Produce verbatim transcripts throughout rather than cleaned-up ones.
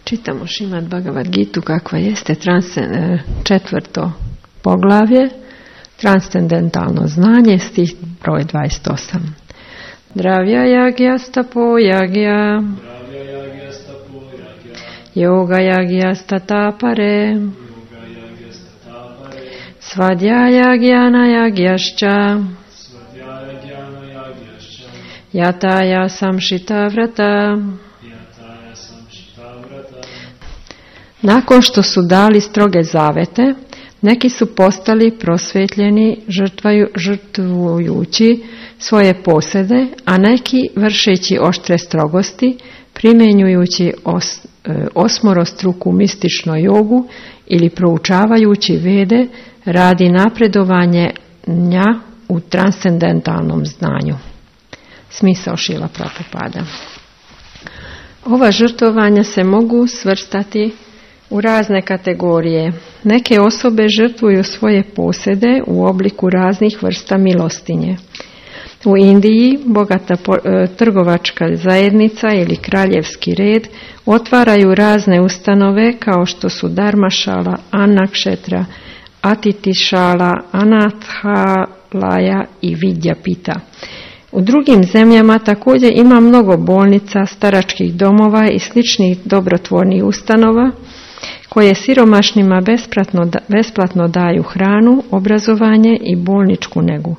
Čitamo Šrimad Bhagavad Gitu kakva jeste transcend, četvrto poglavlje, transcendentalno znanje, stih broj dvadeset osam. Dravya yagya stapo yagya yoga yagya statapare svadhyaya gyana yagyascha yataya samshita vrata. Nakon što su dali stroge zavete, neki su postali prosvetljeni žrtvaju, žrtvujući svoje posede, a neki vršeći oštre strogosti, primjenjujući os, osmorostruku mističnu jogu ili proučavajući vede radi napredovanja u transcendentalnom znanju. Smisao Šrila Prabhupada. Ova žrtvovanja se mogu svrstati u razne kategorije. Neke osobe žrtvuju svoje posjede u obliku raznih vrsta milostinje. U Indiji bogata trgovačka zajednica ili kraljevski red otvaraju razne ustanove kao što su Dharmašala, Anakšetra, Atitišala, Anathalaya i Vidyapita. U drugim zemljama također ima mnogo bolnica, staračkih domova i sličnih dobrotvornih ustanova koje siromašnima besplatno, besplatno daju hranu, obrazovanje i bolničku negu.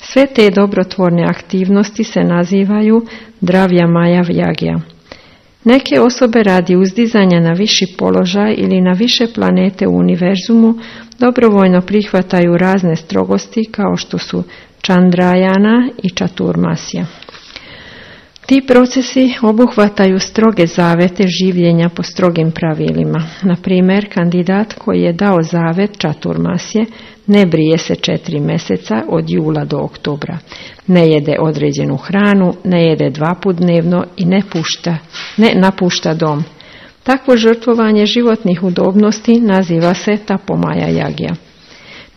Sve te dobrotvorne aktivnosti se nazivaju Dravya Maya Yagya. Neke osobe radi uzdizanja na viši položaj ili na više planete u univerzumu dobrovoljno prihvataju razne strogosti kao što su Chandrayana i Chaturmasya. Ti procesi obuhvataju stroge zavete življenja po strogim pravilima. Na primjer, kandidat koji je dao zavet Chaturmasye ne brije se četiri mjeseca od jula do oktobra, ne jede određenu hranu, ne jede dva put dnevno i ne, pušta, ne napušta dom. Takvo žrtvovanje životnih udobnosti naziva se Tapomaya Yagya.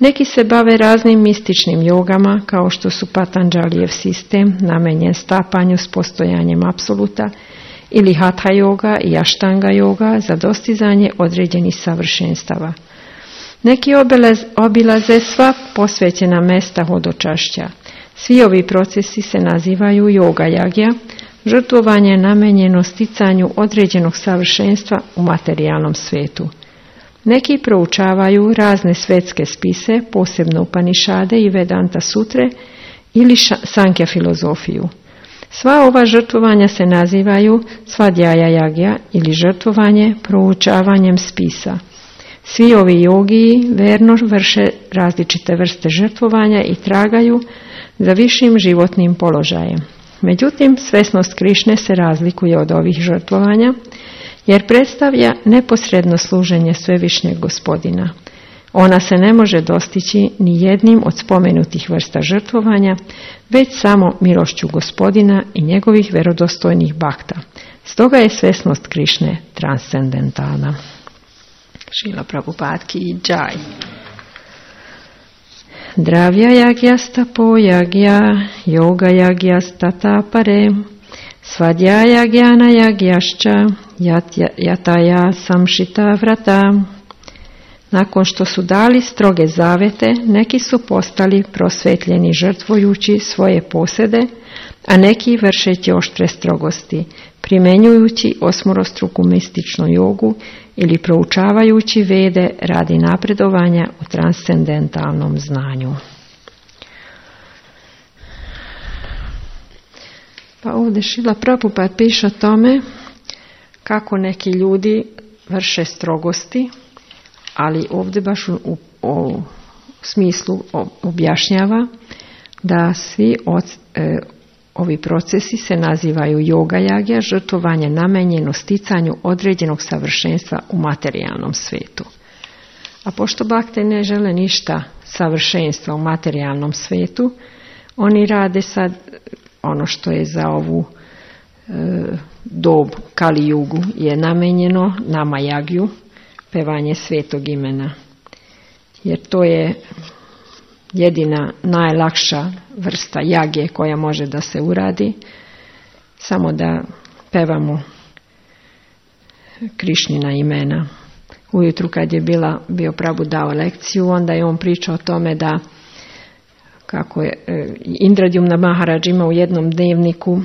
Neki se bave raznim mističnim jogama, kao što su Patanjalijev sistem, namenjen stapanju s postojanjem apsoluta, ili Hatha yoga i Ashtanga yoga za dostizanje određenih savršenstava. Neki obilaz, obilaze sva posvećena mesta hodočašća. Svi ovi procesi se nazivaju yoga yagya, žrtvovanje namenjeno sticanju određenog savršenstva u materijalnom svijetu. Neki proučavaju razne svetske spise, posebno Upanišade i Vedanta sutre ili Sankja filozofiju. Sva ova žrtvovanja se nazivaju Svadhyaya Yagya ili žrtvovanje proučavanjem spisa. Svi ovi jogiji verno vrše različite vrste žrtvovanja i tragaju za višim životnim položajem. Međutim, svesnost Krišne se razlikuje od ovih žrtvovanja, jer predstavlja neposredno služenje Svevišnjeg Gospodina. Ona se ne može dostići ni jednim od spomenutih vrsta žrtvovanja, već samo milošću Gospodina i njegovih vjerodostojnih bakta. Stoga je svesnost Krišne transcendentalna. Šrila Prabhupada ki džaj. Dravya yagya stapo yagya yoga yagya statapare svadhyaya gyana yagyascha yataya samshita vrata. Nakon što su dali stroge zavete, neki su postali prosvetljeni žrtvujući svoje posede, a neki vršeći oštre strogosti, primjenjujući osmorostruku mističnu jogu ili proučavajući vede radi napredovanja u transcendentalnom znanju. Pa ovdje Šrila Prabhupada piše o tome kako neki ljudi vrše strogosti, ali ovdje baš u, u, u smislu objašnjava da svi od, e, ovi procesi se nazivaju yoga yagya, žrtvovanje namenjeno sticanju određenog savršenstva u materijalnom svijetu. A pošto bakte ne žele ništa savršenstva u materijalnom svijetu, oni rade sad ono što je za ovu e, dob Kali Jugu je namenjeno nama jagju, pevanje svetog imena. Jer to je jedina najlakša vrsta jage koja može da se uradi, samo da pevamo Krišnina imena. Ujutru kad je bila, bio Prabhu dao lekciju, onda je on pričao o tome da kako je Indradyumna Maharaj ima u jednom dnevniku,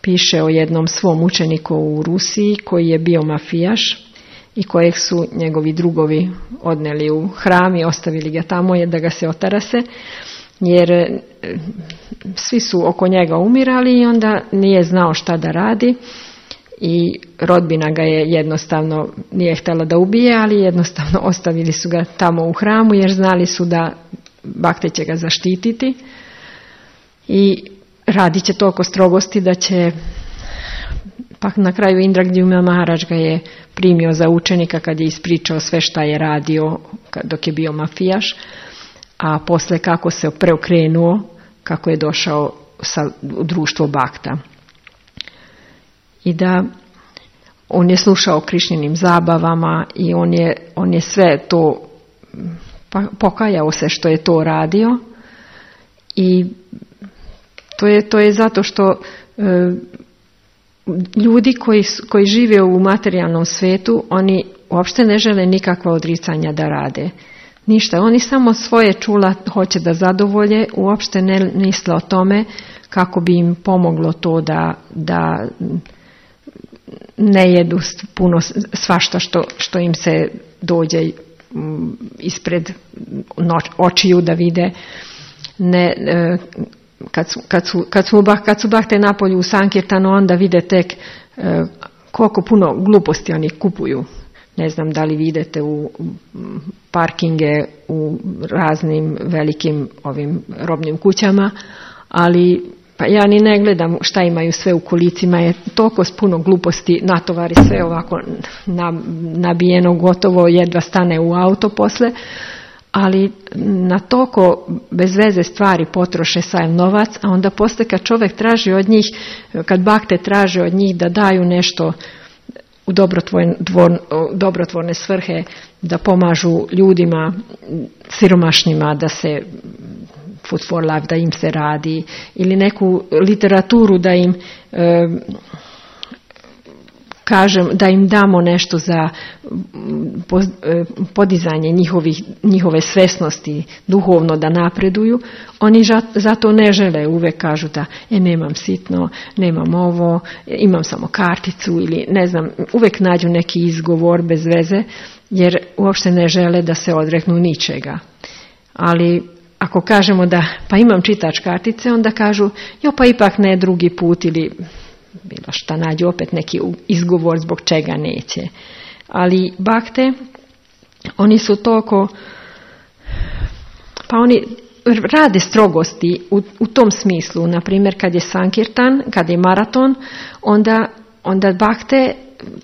piše o jednom svom učeniku u Rusiji koji je bio mafijaš i kojeg su njegovi drugovi odneli u hram i ostavili ga tamo da ga se otarase, jer svi su oko njega umirali i onda nije znao šta da radi i rodbina ga je jednostavno, nije htjela da ubije, ali jednostavno ostavili su ga tamo u hramu jer znali su da Bhakte će ga zaštititi i radit će toliko strogosti da će, pa na kraju Indradyumna Maharaj ga je primio za učenika kad je ispričao sve šta je radio dok je bio mafijaš, a posle kako se preokrenuo, kako je došao sa, u društvo Bhakta. I da on je slušao Krišninim zabavama i on je, on je sve to, pa, pokajao se što je to radio i to je, to je zato što e, ljudi koji, koji žive u materijalnom svijetu, oni uopšte ne žele nikakva odricanja da rade. Ništa, oni samo svoje čula hoće da zadovolje, uopšte ne misle o tome kako bi im pomoglo to da, da ne jedu puno svašta što, što im se dođe ispred noć, očiju da vide. Ne, kad su, kad su, kad su, kad su Bhakte napolju u Sankirtanu, onda vide tek koliko puno gluposti oni kupuju. Ne znam da li vidite u parkinge u raznim velikim ovim robnim kućama, ali pa ja ni ne gledam šta imaju sve u kolicima, je toliko puno gluposti, natovari sve ovako nabijeno, gotovo jedva stane u auto posle, ali na toliko bez veze stvari potroše sav novac, a onda posle kad čovjek traži od njih, kad Bhakte traže od njih da daju nešto u dobrotvorne, dobrotvorne svrhe, da pomažu ljudima siromašnima, da se Food for Life, da im se radi, ili neku literaturu da im e, kažem, da im damo nešto za podizanje njihovih, njihove svesnosti duhovno da napreduju, oni zato ne žele, uvek kažu da e, nemam sitno, nemam ovo, imam samo karticu ili ne znam, uvek nađu neki izgovor bez veze, jer uopšte ne žele da se odreknu ničega. Ali ako kažemo da pa imam čitač kartice, onda kažu jo pa ipak ne drugi put ili bilo šta, nađu opet neki izgovor zbog čega neće. Ali Bhakte, oni su toliko, pa oni rade strogosti u, u tom smislu. Na primjer, kad je Sankirtan, kad je maraton, onda, onda Bhakte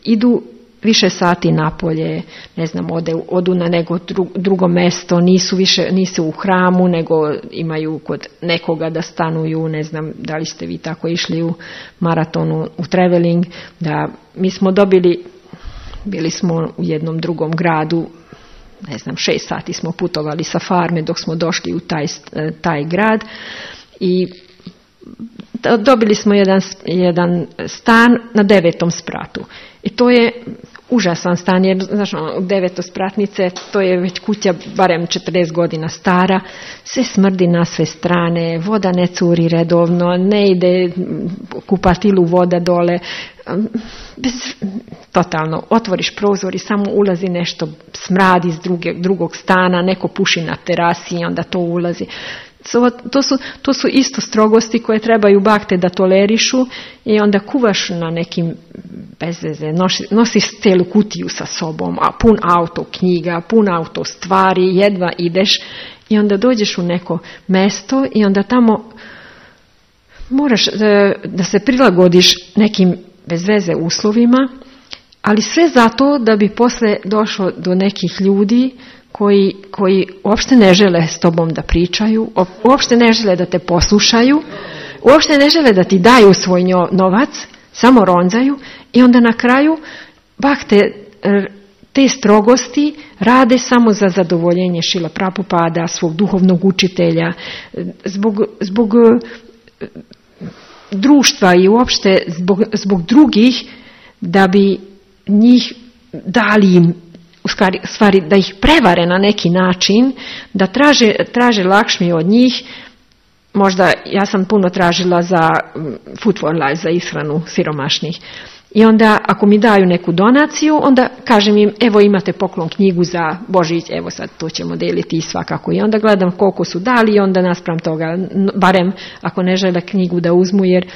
idu više sati napolje, ne znam, ode, odu na neko drugo mesto, nisu više, nisu u hramu, nego imaju kod nekoga da stanuju, ne znam da li ste vi tako išli u maratonu, u traveling, da mi smo dobili, bili smo u jednom drugom gradu, ne znam, šest sati smo putovali sa farme dok smo došli u taj, taj grad i dobili smo jedan, jedan stan na devetom spratu. I to je užasan stan, jer znaš, u devetospratnice, to je već kuća barem četrdeset godina stara, sve smrdi na sve strane, voda ne curi redovno, ne ide kupatilu voda dole, bez, totalno, otvoriš prozor i samo ulazi nešto, smrad iz druge, drugog stana, neko puši na terasi i onda to ulazi. To su, to su isto strogosti koje trebaju Bhakte da tolerišu i onda kuvaš na nekim bezveze, nosiš, nosiš celu kutiju sa sobom, a pun auto knjiga, pun auto stvari, jedva ideš i onda dođeš u neko mesto i onda tamo moraš da, da se prilagodiš nekim bezveze uslovima, ali sve zato da bi posle došlo do nekih ljudi koji, koji uopšte ne žele s tobom da pričaju, uopšte ne žele da te poslušaju, uopšte ne žele da ti daju svoj novac, samo ronzaju i onda na kraju Bhakte te strogosti rade samo za zadovoljenje Šrila Prabhupada, svog duhovnog učitelja, zbog, zbog društva i uopšte zbog, zbog drugih, da bi njih dali im, u stvari, stvari da ih prevare na neki način, da traže, traže Lakšmi od njih. Možda ja sam puno tražila za food for life, za ishranu siromašnih. I onda ako mi daju neku donaciju, onda kažem im, evo imate poklon knjigu za Božić, evo sad to ćemo deliti i svakako. I onda gledam koliko su dali i onda naspram toga, barem ako ne žele knjigu da uzmu, jer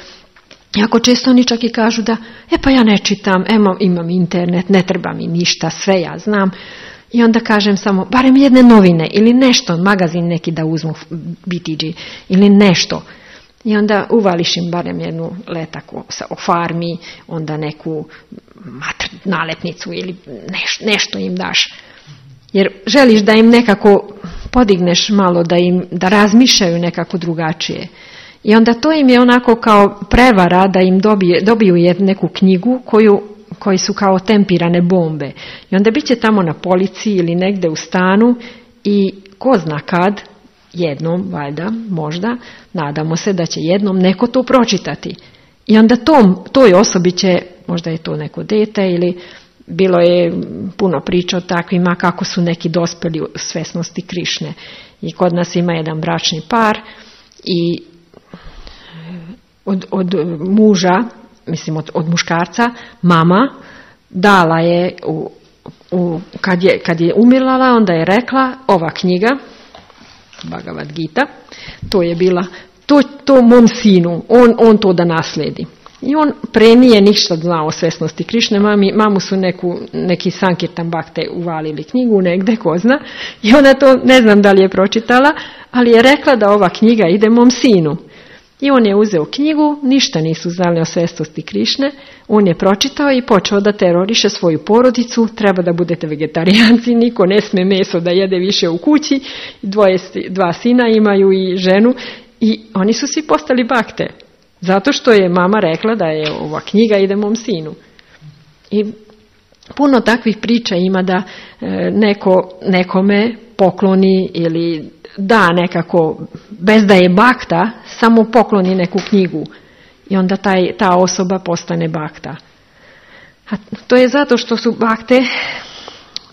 jako često oni čak i kažu da, e pa ja ne čitam, evo imam internet, ne treba mi ništa, sve ja znam. I onda kažem samo, barem jedne novine ili nešto, magazin neki da uzmu, B T G ili nešto. I onda uvališ im barem jednu letak o, o farmi, onda neku matr, nalepnicu ili neš, nešto im daš. Jer želiš da im nekako podigneš malo, da im da razmišljaju nekako drugačije. I onda to im je onako kao prevara da im dobije, dobiju neku knjigu koju, koji su kao tempirane bombe. I onda bit će tamo na polici ili negde u stanu i ko zna kad, jednom, valjda, možda, nadamo se da će jednom neko to pročitati. I onda tom, toj osobi će, možda je to neko dete ili bilo je puno priča o takvima kako su neki dospeli u svesnosti Krišne. I kod nas ima jedan bračni par i od, od muža, mislim od, od muškarca, mama dala je, u, u, kad, je kad je umirala, onda je rekla, ova knjiga, Bhagavad Gita, to je bila, to, to mom sinu, on, on to da nasledi. I on pre nije ništa znao o svesnosti Krišne, mami, mamu su neku, neki Sankirtan Bhakte uvalili knjigu negde, ko zna, i ona to ne znam da li je pročitala, ali je rekla da ova knjiga ide mom sinu. I on je uzeo knjigu, ništa nisu znali o svesnosti Krišne, on je pročitao i počeo da teroriše svoju porodicu, treba da budete vegetarijanci, niko ne sme meso da jede više u kući, dvoje, dva sina imaju i ženu i oni su svi postali bakte, zato što je mama rekla da je ova knjiga ide mom sinu. I puno takvih priča ima da neko nekome pokloni ili da nekako, bez da je bakta, samo pokloni neku knjigu i onda taj, ta osoba postane bakta. A to je zato što su bakte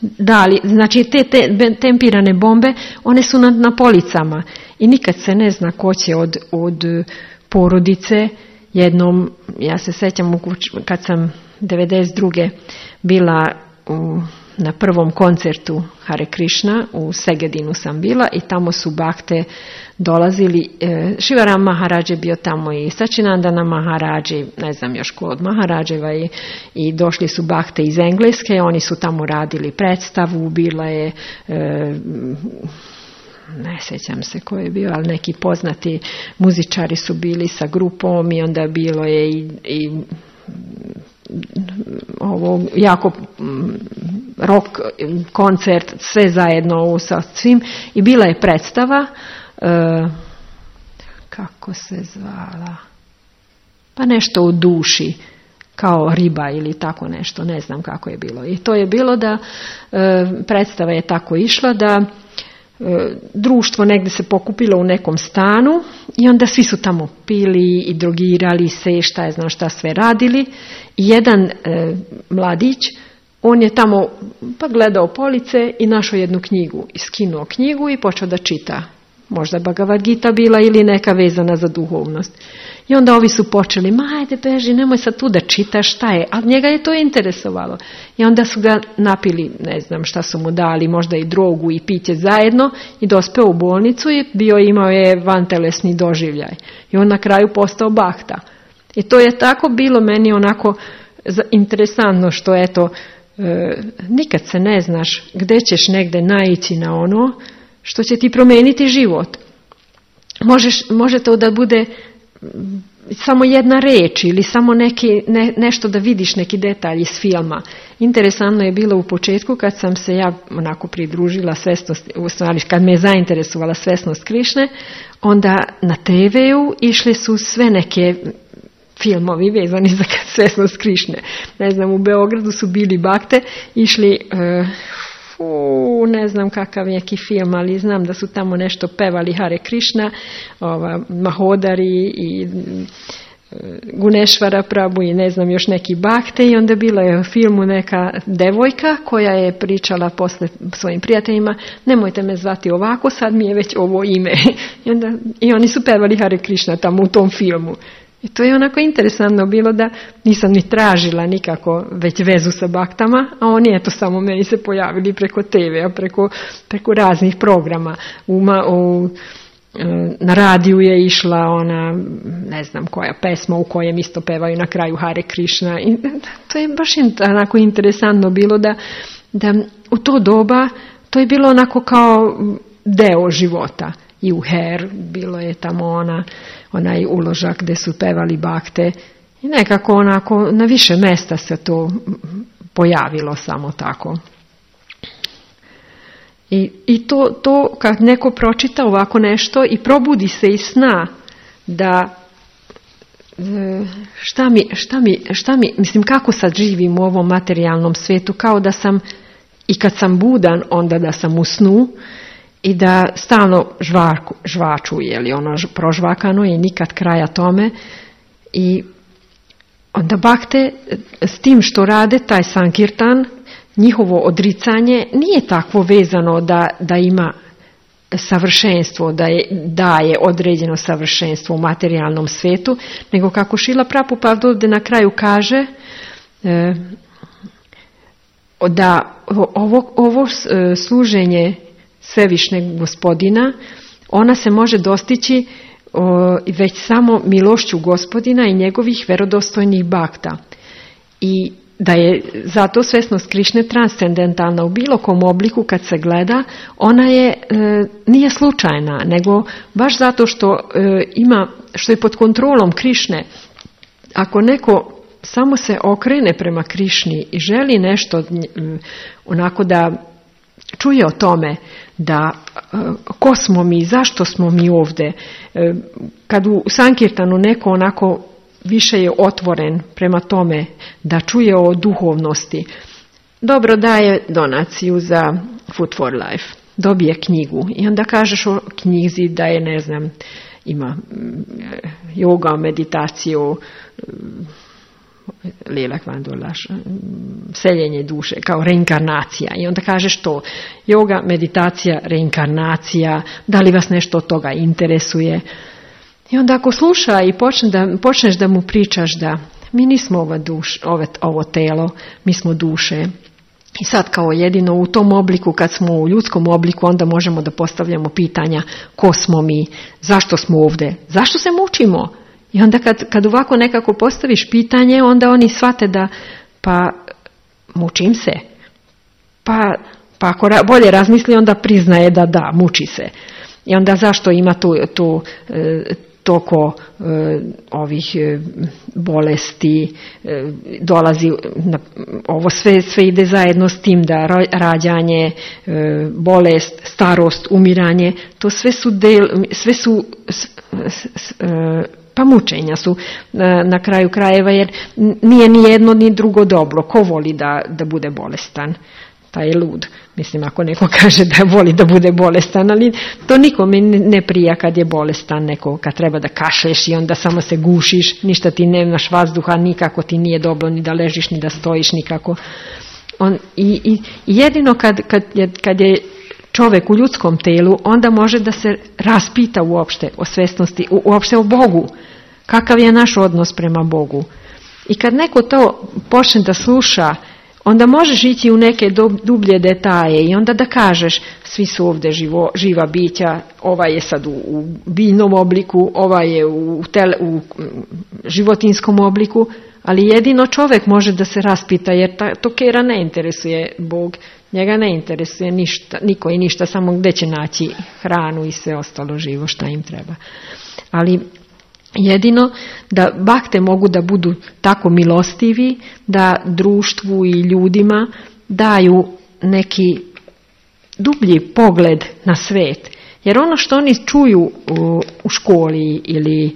dali, znači te, te tempirane bombe, one su na, na policama i nikad se ne zna ko će od, od porodice. Jednom, ja se sećam kad sam devedeset druge bila u na prvom koncertu Hare Krishna, u Segedinu sam bila i tamo su bakte dolazili, e, Šivaram Maharadž je bio tamo i Sačinandana Maharadži, ne znam još ko od Maharadževa i, i došli su bakte iz Engleske, oni su tamo radili predstavu, bila je, e, ne sjećam se ko je bio, ali neki poznati muzičari su bili sa grupom i onda bilo je i, i ovo jako rock koncert, sve zajedno sa svim i bila je predstava e, kako se zvala, pa nešto u duši, kao riba ili tako nešto, ne znam kako je bilo. I to je bilo da e, predstava je tako išla da e, društvo negdje se pokupilo u nekom stanu i onda svi su tamo pili i drogirali se, šta je znam šta sve radili. I jedan e, mladić, on je tamo pa gledao police i našao jednu knjigu. I skinuo knjigu i počeo da čita. Možda Bhagavad Gita bila ili neka vezana za duhovnost. I onda ovi su počeli, ma ajde beži, nemoj sad tu da čitaš, šta je. A njega je to interesovalo. I onda su ga napili, ne znam šta su mu dali, možda i drogu i piće zajedno i dospeo u bolnicu i bio imao je vantelesni doživljaj. I on na kraju postao bakta. I to je tako bilo meni onako interesantno što eto, e, nikad se ne znaš gdje ćeš negdje naići na ono što će ti promijeniti život. Možeš, može to da bude samo jedna reč ili samo neki, ne, nešto da vidiš neki detalj iz filma. Interesantno je bilo u početku kad sam se ja onako pridružila svesnost, u stvari kad me je zainteresovala svesnost Krišne, onda na te veu išli su sve neke filmovi vezani za svesnost Krišne. Ne znam, u Beogradu su bili bakte, išli, uh, fu, ne znam kakav neki film, ali znam da su tamo nešto pevali Hare Krishna, ova, Mahodari i Gunešvara Prabhu i ne znam još neki bakte i onda bila je u filmu neka devojka koja je pričala posle svojim prijateljima, nemojte me zvati ovako, sad mi je već ovo ime. I, onda, i oni su pevali Hare Krishna tamo u tom filmu. I to je onako interesantno bilo da nisam ni tražila nikako već vezu sa baktama, a oni eto samo meni se pojavili preko te ve-a, preko, preko raznih programa. U, u, na radiju je išla ona, ne znam koja pesma u kojem isto pevaju na kraju Hare Krishna. I to je baš onako interesantno bilo da, da u to doba to je bilo onako kao deo života. I u Her bilo je tamo ona, onaj uložak gdje su pevali bakte i nekako onako na više mjesta se to pojavilo samo tako. I, i to, to kad neko pročita ovako nešto i probudi se iz sna da šta mi, šta mi, šta mi, mislim kako sad živim u ovom materijalnom svijetu, kao da sam i kad sam budan onda da sam u snu i da stalno žvaku, žvaču, je li ono prožvakano i nikad kraja tome. I onda bakte s tim što rade taj sankirtan, njihovo odricanje nije takvo vezano da, da ima savršenstvo, da je, daje određeno savršenstvo u materijalnom svijetu, nego kako Šrila Prabhupada ovdje na kraju kaže e, da ovo, ovo služenje Svevišnjeg Gospodina, ona se može dostići o, već samo milošću Gospodina i njegovih verodostojnih bakta. I da je zato svesnost Krišne transcendentalna u bilo kom obliku kad se gleda, ona je e, nije slučajna, nego baš zato što e, ima, što je pod kontrolom Krišne. Ako neko samo se okrene prema Krišni i želi nešto e, onako da čuje o tome da e, ko smo mi, zašto smo mi ovdje, e, kad u Sankirtanu neko onako više je otvoren prema tome da čuje o duhovnosti, dobro daje donaciju za Food for Life, dobije knjigu i onda kažeš o knjizi da je, ne znam, ima yoga, meditaciju, Lilak Vandulaš, seljenje duše, kao reinkarnacija. I onda kažeš to, yoga, meditacija, reinkarnacija, da li vas nešto od toga interesuje? I onda ako sluša i počne da, počneš da mu pričaš da mi nismo ova duš, ove, ovo telo, mi smo duše. I sad kao jedino u tom obliku, kad smo u ljudskom obliku, onda možemo da postavljamo pitanja ko smo mi, zašto smo ovdje, zašto se mučimo? I onda kad, kad ovako nekako postaviš pitanje, onda oni shvate da pa mučim se. Pa, pa ako ra, bolje razmisli, onda priznaje da da, muči se. I onda zašto ima tu, tu e, toko e, ovih e, bolesti, e, dolazi, na, ovo sve, sve ide zajedno s tim da rađanje, e, bolest, starost, umiranje, to sve su, del, sve su s, s, s, e, pa mučenja su na, na kraju krajeva, jer nije ni jedno ni drugo dobro. Ko voli da, da bude bolestan? Taj je lud. Mislim, ako neko kaže da voli da bude bolestan, ali to nikome ne prija kad je bolestan, neko kad treba da kašleš i onda samo se gušiš, ništa ti nemaš vazduha, nikako ti nije dobro ni da ležiš, ni da stojiš, nikako. On, i, i jedino kad, kad, je, kad je čovjek u ljudskom telu, onda može da se raspita uopšte o svesnosti, uopšte o Bogu. Kakav je naš odnos prema Bogu. I kad neko to počne da sluša, onda možeš ići u neke dublje detalje i onda da kažeš svi su ovdje živo, živa bića, ovaj je sad u, u biljnom obliku, ovaj je u, tele, u životinskom obliku, ali jedino čovjek može da se raspita, jer ta, to kera ne interesuje Bog, njega ne interesuje ništa, niko i ništa, samo gdje će naći hranu i sve ostalo živo šta im treba. Ali jedino da bakte mogu da budu tako milostivi da društvu i ljudima daju neki dublji pogled na svijet. Jer ono što oni čuju u, u školi ili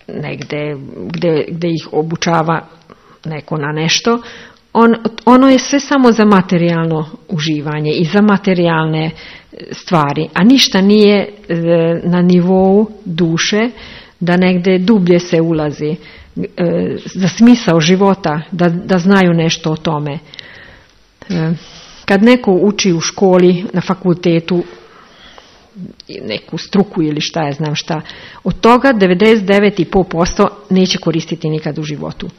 negdje gdje, gdje ih obučava neko na nešto, on, ono je sve samo za materijalno uživanje i za materijalne stvari, a ništa nije e, na nivou duše, da negdje dublje se ulazi. za smisao života, da, da znaju nešto o tome. Kad neko uči u školi, na fakultetu, neku struku ili šta ja znam šta, od toga devedeset devet i pet posto neće koristiti nikad u životu.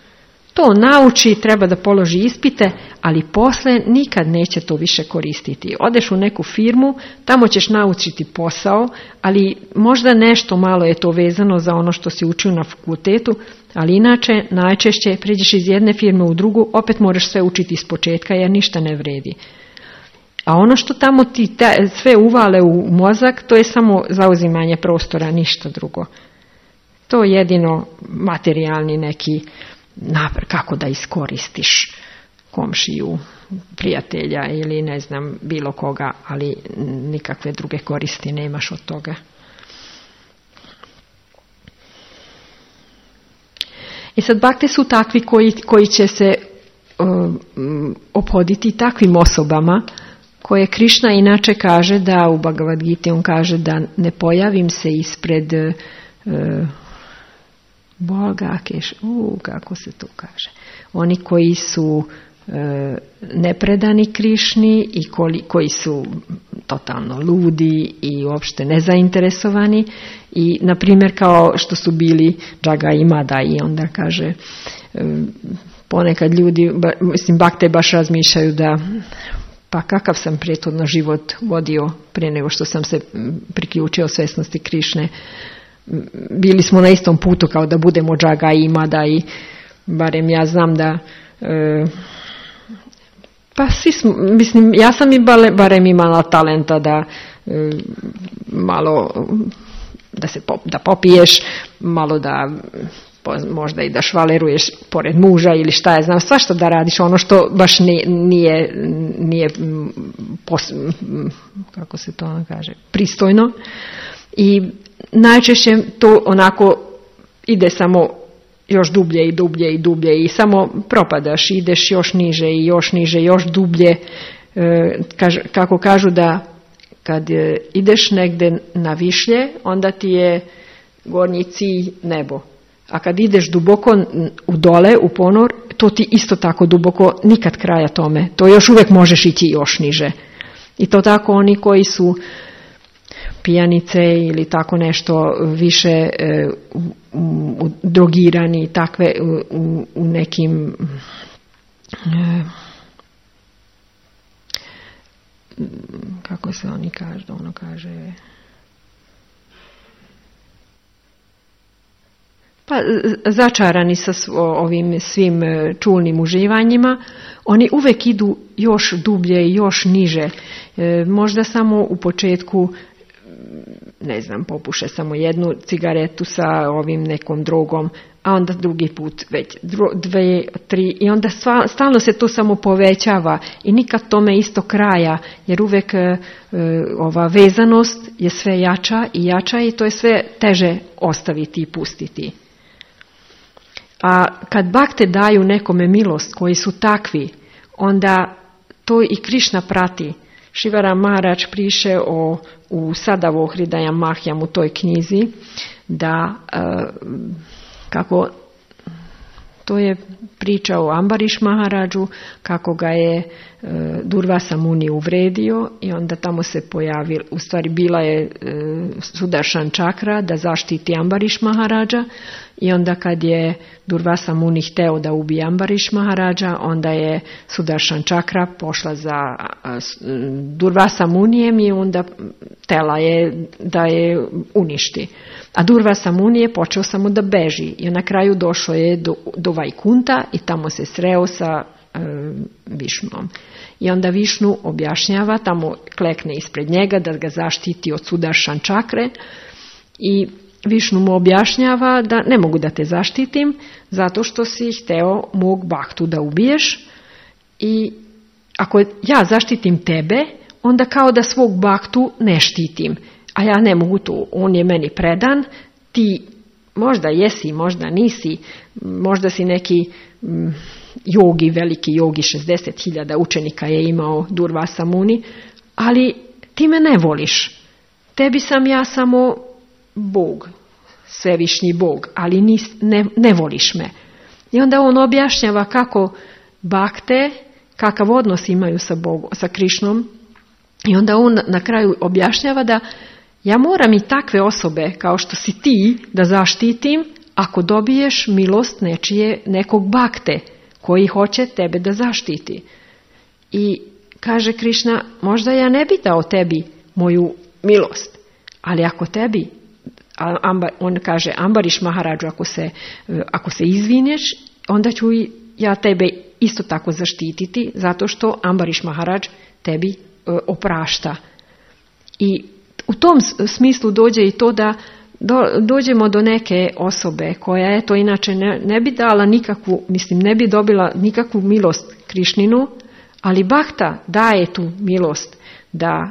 To nauči, treba da položi ispite, ali posle nikad neće to više koristiti. Odeš u neku firmu, tamo ćeš naučiti posao, ali možda nešto malo je to vezano za ono što si učio na fakultetu, ali inače najčešće pređeš iz jedne firme u drugu, opet moraš sve učiti iz početka jer ništa ne vredi. A ono što tamo ti ta, sve uvale u mozak, to je samo zauzimanje prostora, ništa drugo. To je jedino materijalni neki napr, kako da iskoristiš komšiju, prijatelja ili ne znam bilo koga, ali nikakve druge koristi nemaš od toga. I sad bakte su takvi koji, koji će se um, ophoditi takvim osobama koje Krišna inače kaže da u Bhagavad Giti on kaže da ne pojavim se ispred uh, Boga, keš, u, kako se to kaže. Oni koji su e, nepredani Krišni i koji, koji su totalno ludi i uopšte nezainteresovani i na primjer kao što su bili Džaga i Mada i onda kaže e, ponekad ljudi, ba, mislim bakte baš razmišljaju da pa kakav sam prethodno život vodio prije nego što sam se priključio svesnosti Krišne. Bili smo na istom putu kao da budemo Džaga i Mada i barem ja znam da e, pa svi smo, mislim ja sam i bale, barem imala talenta da e, malo da se pop, da popiješ, malo da možda i da švaleruješ pored muža ili šta je znam, svašta da radiš ono što baš nije, nije, nije pos, kako se to kaže, pristojno i najčešće to onako ide samo još dublje i dublje i dublje i samo propadaš, ideš još niže i još niže, još dublje. E, kaž, kako kažu da kad ideš negde na višlje, onda ti je gornji cilj nebo. A kad ideš duboko u dole, u ponor, to ti isto tako duboko, nikad kraja tome. To još uvijek možeš ići još niže. I to tako oni koji su pijanice ili tako nešto više e, u, u, drogirani, takve u, u nekim e, kako se oni kaže, ono kaže pa začarani sa ovim svim čulnim uživanjima, oni uvek idu još dublje i još niže. E, možda samo u početku ne znam, popuše samo jednu cigaretu sa ovim nekom drogom, a onda drugi put već dro, dve, tri i onda sva, stalno se to samo povećava i nikad tome isto kraja, jer uvek e, ova vezanost je sve jača i jača i to je sve teže ostaviti i pustiti. A kad bakte daju nekome milost koji su takvi, onda to i Krišna prati. Šivara Maharaj piše o, u Sadavo Hridaja Mahjam u toj knjizi da e, kako to je priča o Ambariš Maharadžu, kako ga je e, Durvasa Muni uvredio i onda tamo se pojavila, u stvari bila je e, Sudaršan čakra da zaštiti Ambariš Maharadža i onda kad je Durvasa Muni hteo da ubije Ambariš Maharadža, onda je Sudaršan čakra pošla za Durvasa Munijem i onda tela je da je uništi. A Durvasa Muni je počeo samo da beži i na kraju došao je do, do Vajkunta i tamo se sreo sa e, Višnom. I onda Višnu objašnjava, tamo klekne ispred njega da ga zaštiti od Sudaršan čakre i Višnu mu objašnjava da ne mogu da te zaštitim zato što si hteo mog baktu da ubiješ i ako ja zaštitim tebe, onda kao da svog baktu ne štitim. A ja ne mogu to, on je meni predan, ti možda jesi, možda nisi, možda si neki mm, jogi, veliki jogi, šezdeset hiljada učenika je imao Durvasa Muni, ali ti me ne voliš. Tebi sam ja samo Bog, svevišnji Bog, ali nis, ne, ne voliš me. I onda on objašnjava kako bakte, kakav odnos imaju sa Bogom, sa Krišnom. I onda on na kraju objašnjava da ja moram i takve osobe kao što si ti da zaštitim ako dobiješ milost nečije, nekog bakte koji hoće tebe da zaštiti. I kaže Krišna, možda ja ne bi dao tebi moju milost, ali ako tebi, on kaže Ambariš Maharadžu, ako se, ako se izvineš, onda ću ja tebe isto tako zaštititi, zato što Ambariš Maharadž tebi oprašta. I u tom smislu dođe i to da do, dođemo do neke osobe koja je to inače ne, ne bi dala nikakvu, mislim ne bi dobila nikakvu milost Krišninu, ali Bhakta daje tu milost da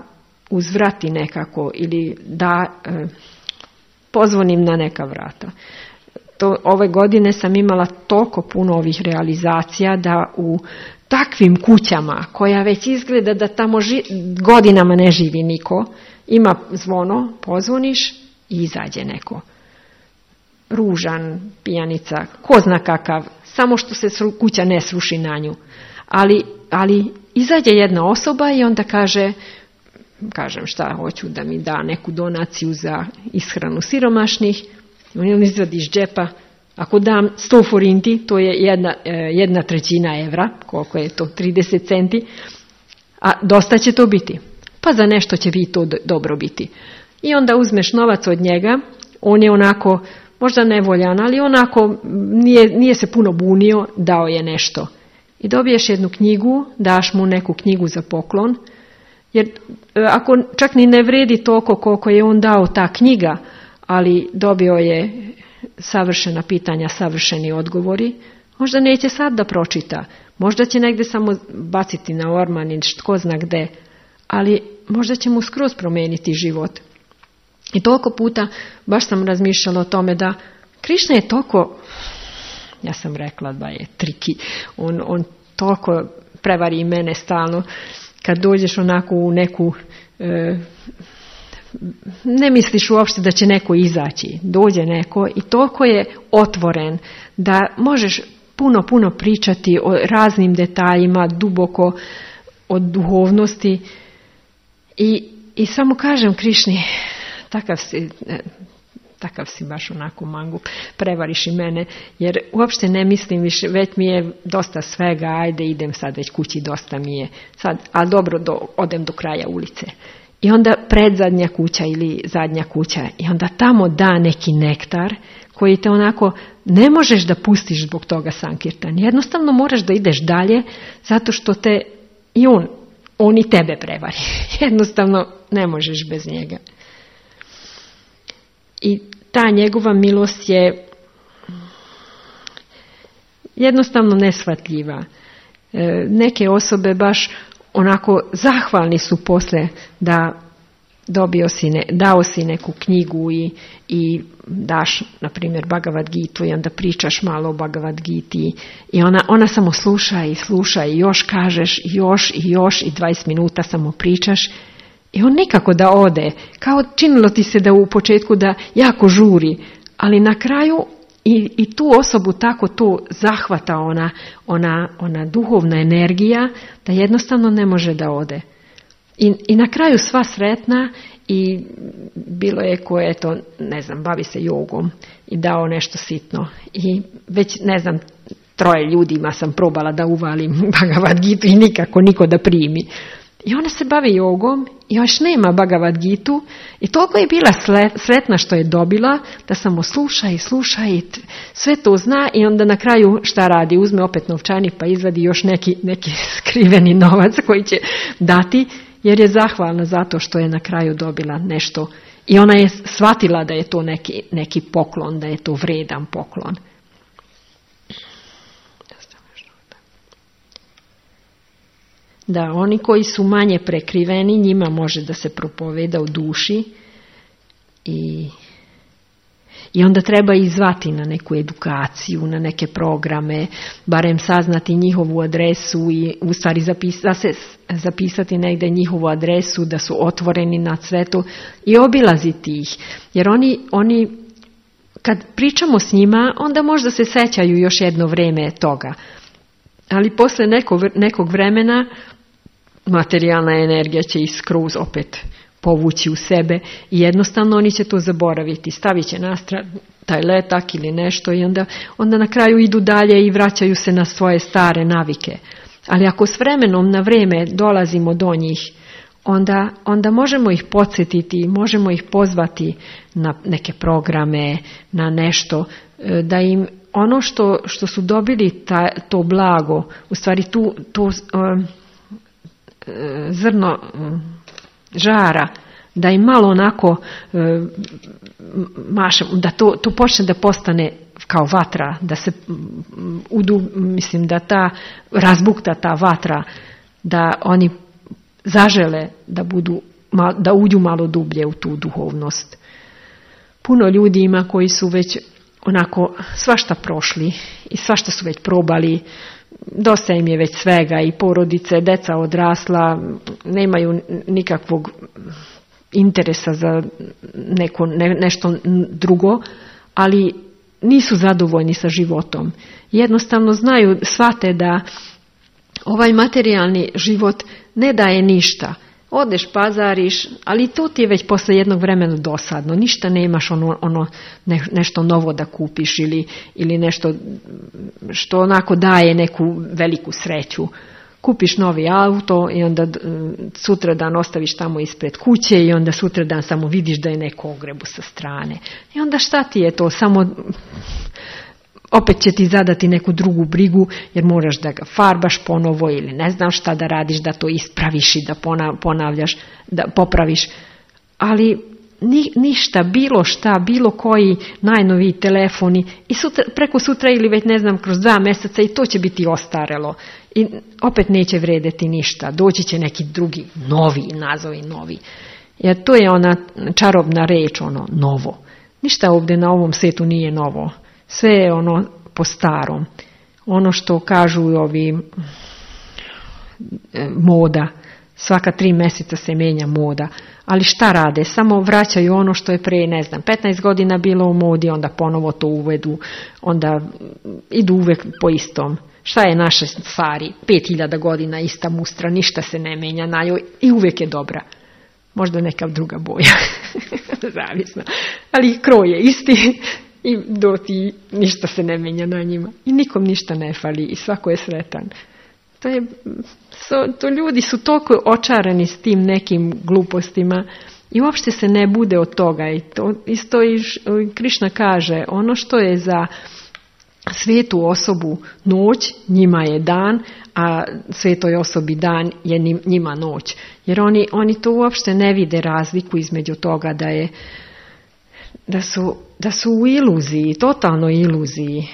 uzvrati nekako ili da e, pozvonim na neka vrata. To, ove godine sam imala toliko puno ovih realizacija da u takvim kućama koja već izgleda da tamo ži, godinama ne živi niko, ima zvono, pozvoniš i izađe neko. Ružan, pijanica, ko zna kakav, samo što se sru, kuća ne sruši na nju. Ali, ali izađe jedna osoba i onda kaže, kažem šta, hoću da mi da neku donaciju za ishranu siromašnih, on izvadi iz džepa, ako dam sto forinti, to je jedna, jedna trećina evra, koliko je to, trideset centi, a dosta će to biti. Pa za nešto će vi to dobro biti. I onda uzmeš novac od njega, on je onako, možda nevoljan, ali onako nije, nije se puno bunio, dao je nešto. I dobiješ jednu knjigu, daš mu neku knjigu za poklon, jer ako čak ni ne vredi toliko koliko je on dao ta knjiga, ali dobio je savršena pitanja, savršeni odgovori, možda neće sad da pročita, možda će negdje samo baciti na orman ili tko zna gde, ali možda će mu skroz promijeniti život. I toliko puta baš sam razmišljala o tome da Krišna je toliko, ja sam rekla da je triki, on, on toliko prevari mene stalno, kad dođeš onako u neku, e, ne misliš uopšte da će neko izaći, dođe neko i toliko je otvoren da možeš puno, puno pričati o raznim detaljima, duboko od duhovnosti i, i samo kažem Krišni, takav si, takav si baš onako mangu, prevariš i mene, jer uopšte ne mislim više, već mi je dosta svega, ajde idem sad već kući, dosta mi je, sad, ali dobro, do, odem do kraja ulice. I onda predzadnja kuća ili zadnja kuća i onda tamo da neki nektar koji te onako ne možeš da pustiš zbog toga sankirtan. Jednostavno moraš da ideš dalje zato što te i on, on i tebe prevari. Jednostavno ne možeš bez njega. I ta njegova milost je jednostavno neshvatljiva. E, neke osobe baš onako zahvalni su posle da dobio si ne, dao si neku knjigu i, i daš, na primjer, Bhagavad Gitu i onda pričaš malo o Bhagavad Giti i ona, ona samo sluša i sluša i još kažeš i još i još i dvadeset minuta samo pričaš i on nikako da ode. Kao činilo ti se da u početku da jako žuri, ali na kraju i, i tu osobu tako to zahvata ona, ona, ona duhovna energija da jednostavno ne može da ode. I, i na kraju sva sretna i bilo je koje to, ne znam, bavi se jogom i dao nešto sitno. I već, ne znam, troje ljudima sam probala da uvalim Bhagavad Gitu i nikako niko da primi. I ona se bavi jogom i još nema Bhagavad Gitu i toliko je bila sretna što je dobila da samo sluša i sluša i sve to zna i onda na kraju šta radi? Uzme opet novčanik pa izvadi još neki, neki skriveni novac koji će dati jer je zahvalna zato što je na kraju dobila nešto i ona je shvatila da je to neki, neki poklon, da je to vredan poklon. Da, oni koji su manje prekriveni, njima može da se propoveda u duši i, i onda treba izvati na neku edukaciju, na neke programe, barem saznati njihovu adresu i u stvari zapisa, se, zapisati negdje njihovu adresu, da su otvoreni na sve to i obilaziti ih. Jer oni, oni kad pričamo s njima, onda možda se sećaju još jedno vrijeme toga. Ali posle nekog, nekog vremena materijalna energija će ih skroz opet povući u sebe i jednostavno oni će to zaboraviti. Stavit će na stranu taj letak ili nešto i onda, onda na kraju idu dalje i vraćaju se na svoje stare navike. Ali ako s vremenom na vrijeme dolazimo do njih, onda, onda možemo ih podsjetiti, možemo ih pozvati na neke programe, na nešto, da im ono što, što su dobili ta, to blago, u stvari tu, to uh, zrno uh, žara, da im malo onako uh, mašem, da to, to počne da postane kao vatra, da se udu, mislim da ta razbukta ta vatra, da oni zažele da budu, da uđu malo dublje u tu duhovnost. Puno ljudi ima koji su već onako svašta prošli i svašta su već probali, dosta im je već svega i porodice, deca odrasla, nemaju nikakvog interesa za neko, ne, nešto drugo, ali nisu zadovoljni sa životom. Jednostavno znaju, shvate da ovaj materijalni život ne daje ništa. Odeš, pazariš, ali to ti je već posle jednog vremena dosadno. Ništa nemaš ono, ono ne, nešto novo da kupiš ili, ili nešto što onako daje neku veliku sreću. Kupiš novi auto i onda sutradan ostaviš tamo ispred kuće i onda sutradan samo vidiš da je neko ogrebu sa strane. I onda šta ti je to? Samo opet će ti zadati neku drugu brigu jer moraš da ga farbaš ponovo ili ne znam šta da radiš, da to ispraviš i da ponavljaš, da popraviš. Ali ni, ništa, bilo šta, bilo koji najnoviji telefoni i sutra, preko sutra ili već ne znam kroz dva mjeseca i to će biti ostarelo. I opet neće vredeti ništa. Doći će neki drugi, novi, nazovi novi. Jer to je ona čarobna reč, ono, novo. Ništa ovdje na ovom svijetu nije novo. Sve je ono po starom. Ono što kažu ovi e, moda. Svaka tri mjeseca se mijenja moda. Ali šta rade? Samo vraćaju ono što je pre, ne znam, petnaest godina bilo u modi, onda ponovo to uvedu, onda idu uvijek po istom. Šta je naše stvari? Pet hiljada godina ista mustra, ništa se ne menja na njoj i uvijek je dobra. Možda neka druga boja. Zavisno. Ali kroj je isti i do ti ništa se ne menja na njima. I nikom ništa ne fali i svako je sretan. To je, so, to ljudi su toliko očarani s tim nekim glupostima i uopšte se ne bude od toga. I to isto i Krišna kaže, ono što je za svetu osobu noć, njima je dan, a svetoj osobi dan je njima noć. Jer oni, oni to uopšte ne vide razliku između toga da je da su, da su u iluziji, totalnoj iluziji.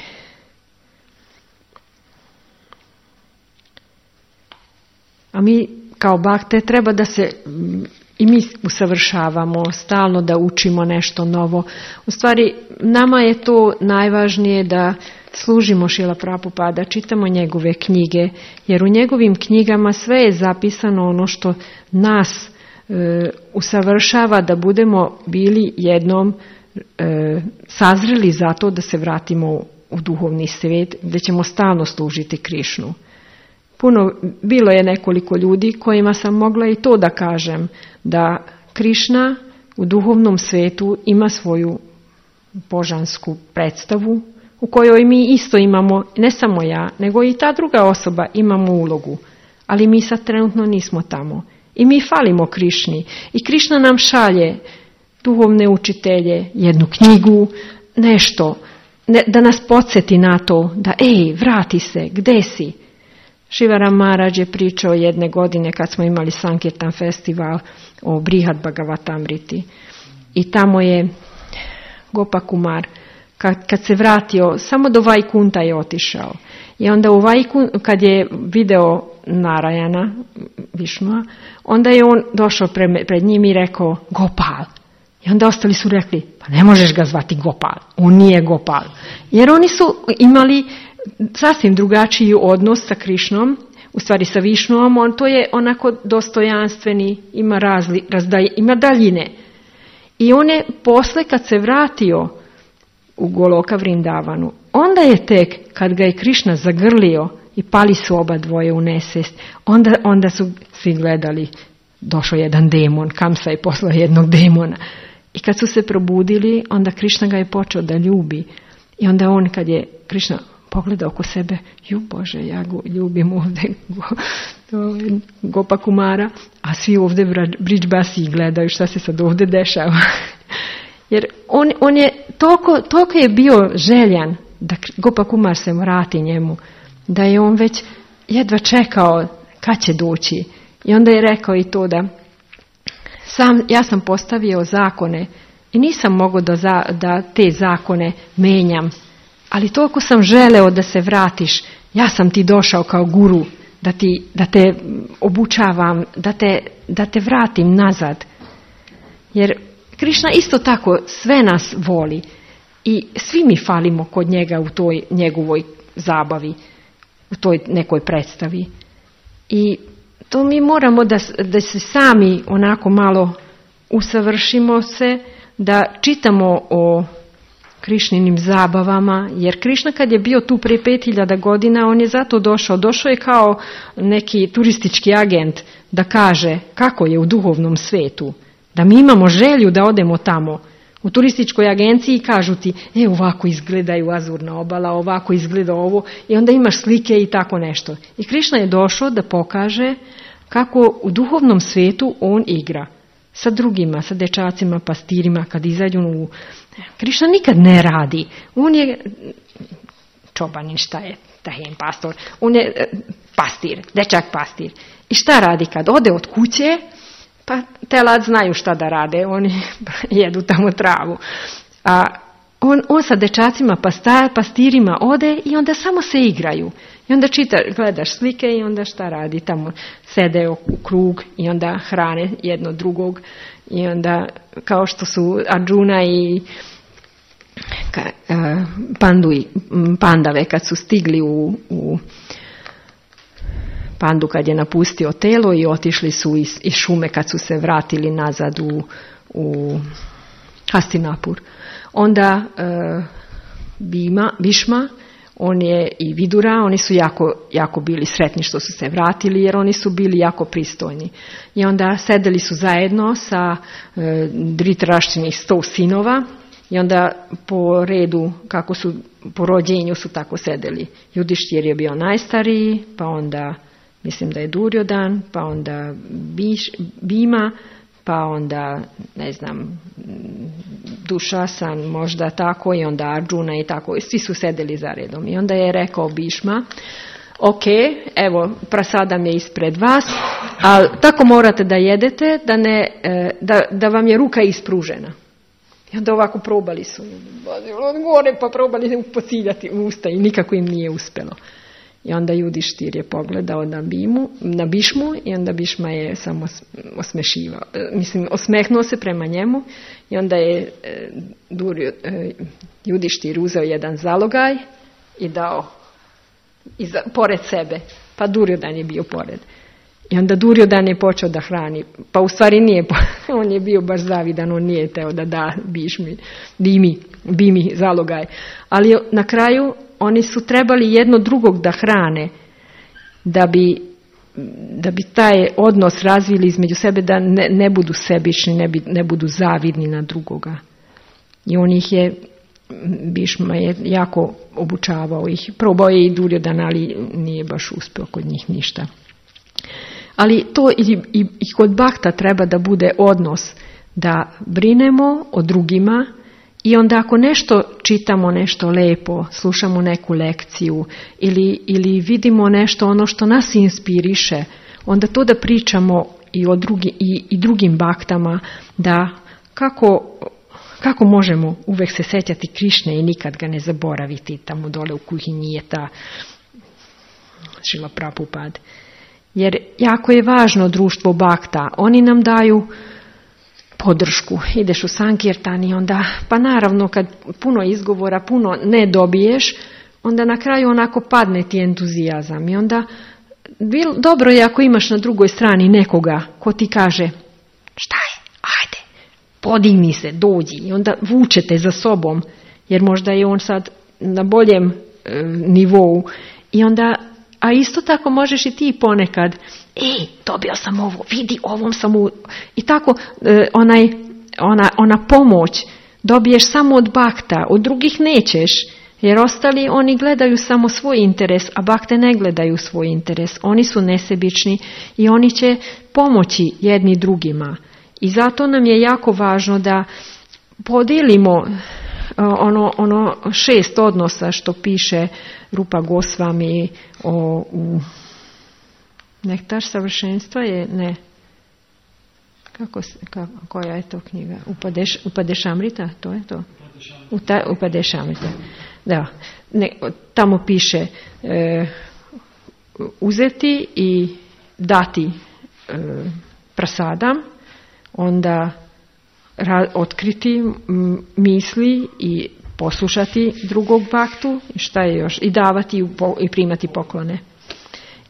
A mi kao bakte treba da se i mi usavršavamo, stalno da učimo nešto novo. U stvari, nama je to najvažnije da služimo Šrila Prabhupada, čitamo njegove knjige, jer u njegovim knjigama sve je zapisano ono što nas e, usavršava da budemo bili jednom e, sazreli za to da se vratimo u duhovni svijet, gdje ćemo stalno služiti Krišnu. Puno, bilo je nekoliko ljudi kojima sam mogla i to da kažem, da Krišna u duhovnom svijetu ima svoju božansku predstavu, u kojoj mi isto imamo, ne samo ja, nego i ta druga osoba imamo ulogu. Ali mi sad trenutno nismo tamo. I mi falimo Krišni. I Krišna nam šalje duhovne učitelje, jednu knjigu, nešto, ne, da nas podsjeti na to, da ej, vrati se, gde si? Šivaram Maharaj je pričao jedne godine kad smo imali Sankirtan festival o Brihad Bhagavatamriti. I tamo je Gopakumar, kad, kad se vratio, samo do Vajkunta je otišao. I onda u Vajkun, kad je video Narayana, Višnua, onda je on došao pre, pred njim i rekao Gopal. I onda ostali su rekli, pa ne možeš ga zvati Gopal, on nije Gopal. Jer oni su imali sasvim drugačiji odnos sa Krišnom, u stvari sa Višnuom, on to je onako dostojanstveni, ima, razli, razdaj, ima daljine. I on je posle kad se vratio u Goloka Vrindavanu. Onda je tek, kad ga je Krišna zagrlio i pali su oba dvoje u nesvijest, onda, onda su svi gledali, došao jedan demon, Kamsa je poslao jednog demona. I kad su se probudili, onda Krišna ga je počeo da ljubi. I onda on, kad je Krišna pogledao oko sebe, ju Bože, ja go ljubim ovdje go, Gopa Kumara, a svi ovdje Bridžbasi gledaju šta se sad ovdje dešava. Jer on, on je toliko, toliko je bio željan da Gopa Kumar se vrati njemu, da je on već jedva čekao kad će doći. I onda je rekao i to da sam, ja sam postavio zakone i nisam mogao da, za, da te zakone menjam, ali toliko sam želeo da se vratiš, ja sam ti došao kao guru, da, ti, da te obučavam, da te, da te vratim nazad. Jer Krišna isto tako sve nas voli i svi mi falimo kod njega u toj njegovoj zabavi, u toj nekoj predstavi. I to mi moramo da, da se sami onako malo usavršimo se, da čitamo o Krišninim zabavama, jer Krišna kad je bio tu prije pet hiljada godina, on je zato došao. Došao je kao neki turistički agent da kaže kako je u duhovnom svetu, da mi imamo želju da odemo tamo. U turističkoj agenciji kažu ti, e ovako izgledaju Azurna obala, ovako izgleda ovo, i onda imaš slike i tako nešto. I Krišna je došao da pokaže kako u duhovnom svetu on igra sa drugima, sa dečacima, pastirima, kad izađu u... Krišna nikad ne radi. On je čobanin, šta je, tahen pastor, on je pastir, dečak pastir. I šta radi kad ode od kuće? Pa telad znaju šta da rade, oni jedu tamo travu. A on, on sa dečacima, pasta, pastirima ode i onda samo se igraju. I onda čita, gledaš slike i onda šta radi, tamo sede u krug i onda hrane jedno drugog. I onda kao što su Arjuna i ka, uh, pandu i pandave kad su stigli u, u Pandu kad je napustio telo i otišli su iz, iz šume kad su se vratili nazad u, u Hastinapur. Onda uh, Bima, Bhišma, on je i Vidura, oni su jako, jako bili sretni što su se vratili jer oni su bili jako pristojni. I onda sedeli su zajedno sa uh, Dhritarashtrinih sto sinova i onda po redu, kako su po rođenju su tako sedeli. Judištir je bio najstariji, pa onda mislim da je Durjodan, pa onda Biš, Bima, pa onda, ne znam, Dušasan, možda tako, i onda Arjuna i tako. I svi su sedeli za redom. I onda je rekao Bhišma, ok, evo, prasadam je ispred vas, ali tako morate da jedete, da, ne, da, da vam je ruka ispružena. I onda ovako probali su, od gore pa probali pociljati u usta i nikako im nije uspjelo. I onda Judištir je pogledao na Bimu, na Bhišmu i onda Bhišma je samo osmešivao. Mislim, osmehnuo se prema njemu i onda je Durjo, Judištir uzeo jedan zalogaj i dao iza, pored sebe. Pa Durjodan je bio pored. I onda Durjodan je počeo da hrani. Pa u stvari nije, on je bio baš zavidan, on nije teo da da Bhišmi, Bimi, Bimi zalogaj. Ali na kraju oni su trebali jedno drugog da hrane, da bi, da bi taj odnos razvili između sebe, da ne, ne budu sebični, ne, bi, ne budu zavidni na drugoga. I on ih je, Bhišma je jako obučavao ih. Probao je i Durjodan, ali nije baš uspio kod njih ništa. Ali to i, i, i kod Bhakta treba da bude odnos, da brinemo o drugima. I onda ako nešto čitamo, nešto lepo, slušamo neku lekciju ili, ili vidimo nešto ono što nas inspiriše, onda to da pričamo i, o drugi, i, i drugim baktama, da kako, kako možemo uvek se sjećati Krišne i nikad ga ne zaboraviti. Tamo dole u kuhinji je ta Šrila Prabhupada. Jer jako je važno društvo bakta. Oni nam daju podršku. Ideš u Sankirtan i onda, pa naravno kad puno izgovora, puno ne dobiješ, onda na kraju onako padne ti entuzijazam. I onda bil, dobro je ako imaš na drugoj strani nekoga ko ti kaže, šta je, ajde, podigni se, dođi. I onda vučete za sobom. jer možda je on sad na boljem e, nivou. I onda, a isto tako možeš i ti ponekad, e, dobio sam ovo, vidi, ovom sam u... I tako, e, onaj, ona, ona pomoć dobiješ samo od bakta, od drugih nećeš, jer ostali oni gledaju samo svoj interes, a bakte ne gledaju svoj interes. Oni su nesebični i oni će pomoći jedni drugima. I zato nam je jako važno da podijelimo ono, ono šest odnosa što piše Rupa Gosvami o, u Nektar savršenstva je, ne, kako, kako, koja je to knjiga? Upadeš, Upadešamrita, to je to? Upadešamrita. Da, ne, tamo piše e, uzeti i dati e, prasadam, onda ra, otkriti m, misli i poslušati drugog baktu, šta je još, i davati i, i primati poklone.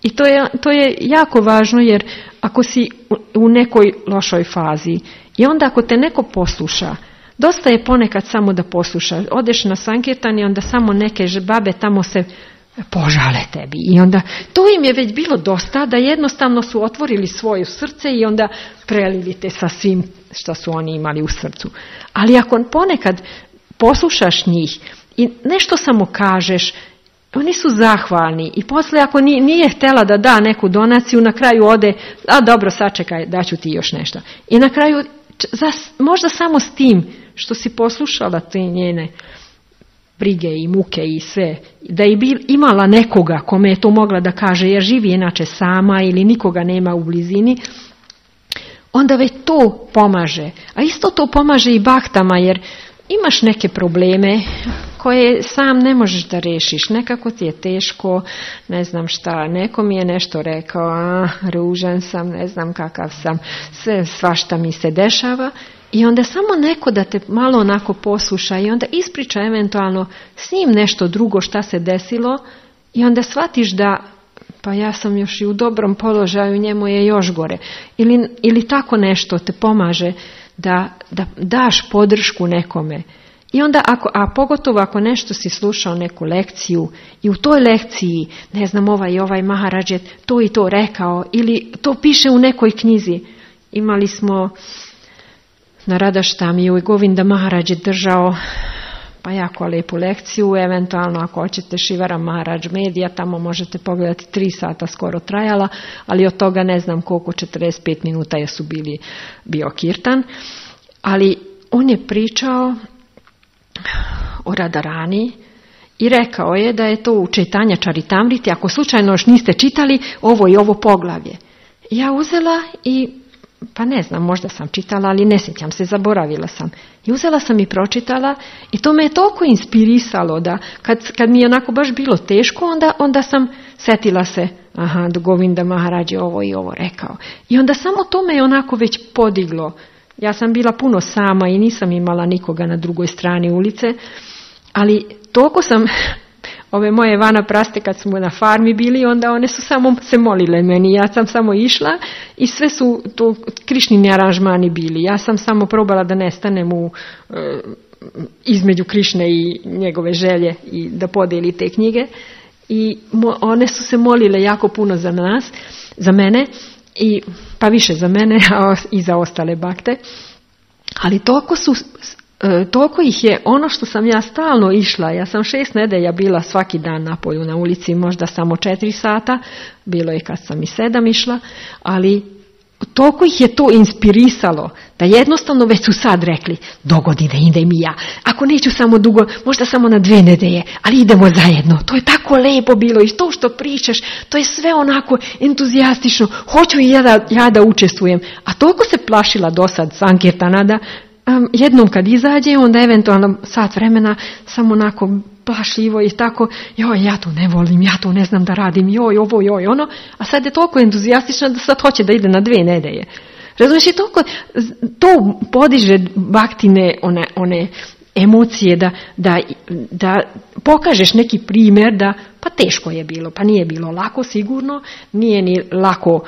I to je, to je jako važno, jer ako si u, u nekoj lošoj fazi i onda ako te neko posluša, dosta je ponekad samo da posluša. Odeš na sankirtan i onda samo neke babe tamo se požale tebi. I onda to im je već bilo dosta, da jednostavno su otvorili svoje srce i onda prelili te sa svim što su oni imali u srcu. Ali ako ponekad poslušaš njih i nešto samo kažeš, oni su zahvalni i poslije ako nije, nije htjela da da neku donaciju, na kraju ode, a dobro, sačekaj, daću ti još nešto. I na kraju, za, možda samo s tim što si poslušala te njene brige i muke i sve, da je bil, imala nekoga kome je to mogla da kaže, jer živi inače sama ili nikoga nema u blizini, onda već to pomaže. A isto to pomaže i baktama, jer imaš neke probleme koje sam ne možeš da rešiš. Nekako ti je teško, ne znam šta, neko mi je nešto rekao, a, ružan sam, ne znam kakav sam, sve, svašta mi se dešava. I onda samo neko da te malo onako posluša i onda ispriča eventualno s njim nešto drugo šta se desilo i onda shvatiš da pa ja sam još i u dobrom položaju, njemu je još gore. Ili, ili tako nešto te pomaže da, da daš podršku nekome. I onda, ako, a pogotovo ako nešto si slušao neku lekciju i u toj lekciji, ne znam, ovaj i ovaj Maharadž je to i to rekao ili to piše u nekoj knjizi. Imali smo na Radaštamiju i Govinda Maharadž je držao pa jako lijepu lekciju, eventualno ako hoćete Šivara Maharadž Medija, tamo možete pogledati, tri sata skoro trajala, ali od toga ne znam koliko, četrdeset pet minuta je su bili bio kirtan, ali on je pričao o Radharani i rekao je da je to u Čaitanja Čaritamriti, ako slučajno još niste čitali ovo i ovo poglavlje. Ja uzela i pa ne znam, možda sam čitala, ali ne sjećam se, zaboravila sam. I uzela sam i pročitala i to me je toliko inspirisalo da kad, kad mi je onako baš bilo teško, onda, onda sam setila se, aha, Govinda Maharadž je ovo i ovo rekao. I onda samo to me je onako već podiglo. Ja sam bila puno sama i nisam imala nikoga na drugoj strani ulice, ali toliko sam... Ove moje vanapraste kad smo na farmi bili, onda one su samo se molile meni. Ja sam samo išla i sve su to Krišnini aranžmani bili. Ja sam samo probala da nestanem u, e, između Krišne i njegove želje i da podijeli te knjige. I mo, one su se molile jako puno za nas, za mene, i, pa više za mene a i za ostale bakte. Ali toliko su... E, toliko ih je, ono što sam ja stalno išla, ja sam šest nedelja bila svaki dan na polju na ulici, možda samo četiri sata, bilo je kad sam i sedam išla, ali toliko ih je to inspirisalo, da jednostavno već su sad rekli, dogodine idem i ja, ako neću samo dugo, možda samo na dve nedelje, ali idemo zajedno, to je tako lepo bilo i to što pričaš, to je sve onako entuzijastično, hoću i ja da, ja da učestvujem, a toliko se plašila do sad Sankirtana da Um, jednom kad izađe, onda eventualno sat vremena samo onako plašljivo i tako, joj, ja to ne volim, ja to ne znam da radim, joj, ovo, joj, ono, a sad je toliko entuzijastično da sad hoće da ide na dve nedelje. Razumiješ, i toliko, to podiže baktine one, one emocije da, da, da pokažeš neki primjer da pa teško je bilo, pa nije bilo lako sigurno, nije ni lako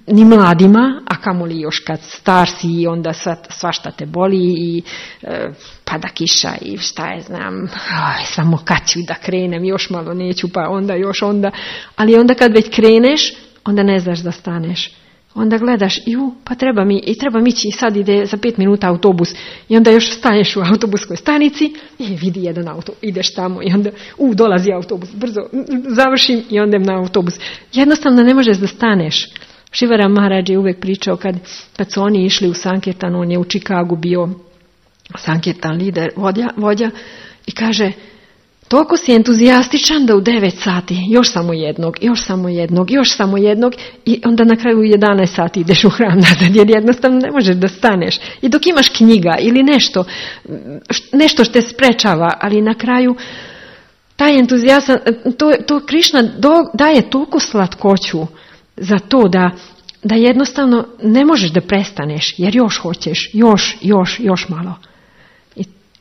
ni mladima, a kamoli još kad star si i onda svašta te boli i e, pada kiša i šta je znam, aj, samo kad ću da krenem, još malo neću, pa onda još onda, ali onda kad već kreneš, onda ne znaš da staneš. Onda gledaš, ju, pa treba mi, i treba mi ići i sad ide za pet minuta autobus i onda još staneš u autobuskoj stanici i vidi jedan auto, ideš tamo i onda, u, dolazi autobus, brzo, završim i onda na autobus. Jednostavno ne možeš da staneš. Šivara Maharaj je uvijek pričao kad, kad su oni išli u Sankirtan, on je u Čikagu bio Sankirtan lider, vodja, vodja i kaže, toliko si entuzijastičan da u devet sati još samo jednog, još samo jednog, još samo jednog i onda na kraju u jedanaest sati ideš u hram nazad jer jednostavno ne možeš da staneš. I dok imaš knjiga ili nešto, nešto što te sprečava, ali na kraju taj entuzijazam, to, to Krišna do, daje toliko slatkoću za to da, da jednostavno ne možeš da prestaneš jer još hoćeš, još, još, još malo.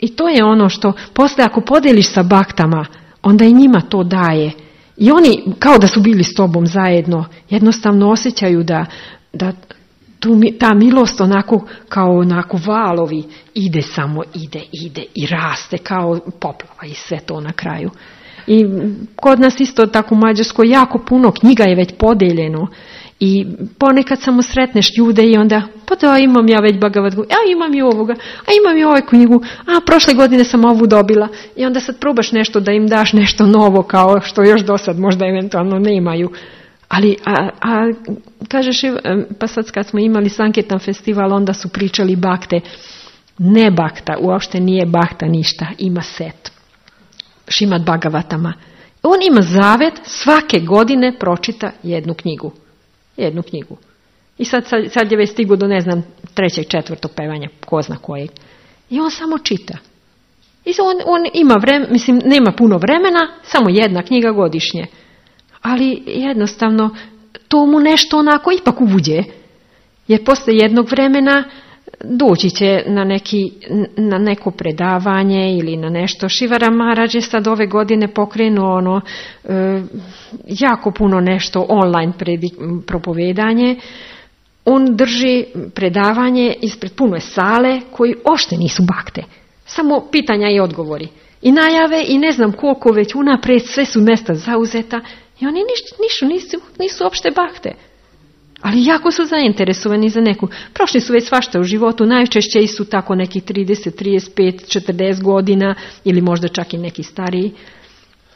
I to je ono što posle ako podeliš sa baktama, onda i njima to daje. I oni kao da su bili s tobom zajedno, jednostavno osjećaju da, da tu, ta milost onako kao onako valovi ide samo, ide, ide i raste kao poplava i sve to na kraju. I kod nas isto tako u Mađarskoj jako puno knjiga je već podeljeno. I ponekad samo sretneš ljude i onda, pa da, imam ja već Bhagavad Gita, a imam i ovoga, a imam i ovu knjigu, a prošle godine sam ovu dobila. I onda sad probaš nešto da im daš nešto novo kao što još do sad možda eventualno nemaju. Ali, a, a kažeš, pa sad kad smo imali Sankirtan festival, onda su pričali bakte. Ne bakta, uopšte nije bakta ništa, ima set. Šimad Bhagavatama. On ima zavet, svake godine pročita jednu knjigu. Jednu knjigu. I sad, sad, sad je već stigu do, ne znam, trećeg, četvrtog pevanja, ko zna kojeg. I on samo čita. I on, on ima vremena, mislim, nema puno vremena, samo jedna knjiga godišnje. Ali jednostavno, to mu nešto onako ipak uđe. Jer posle jednog vremena doći će na, neki, na neko predavanje ili na nešto. Šivara Maharaj je sad ove godine pokrenuo ono, e, jako puno nešto online predi, propovedanje. On drži predavanje ispred pune sale koji ošte nisu bakte. Samo pitanja i odgovori. I najave i ne znam koliko već unaprijed, sve su mjesta zauzeta i oni nišu, nisu, nisu opšte bakte. Ali jako su zainteresovani za neku. Prošli su već svašta u životu, najčešće su tako neki trideset, trideset pet, četrdeset godina ili možda čak i neki stariji.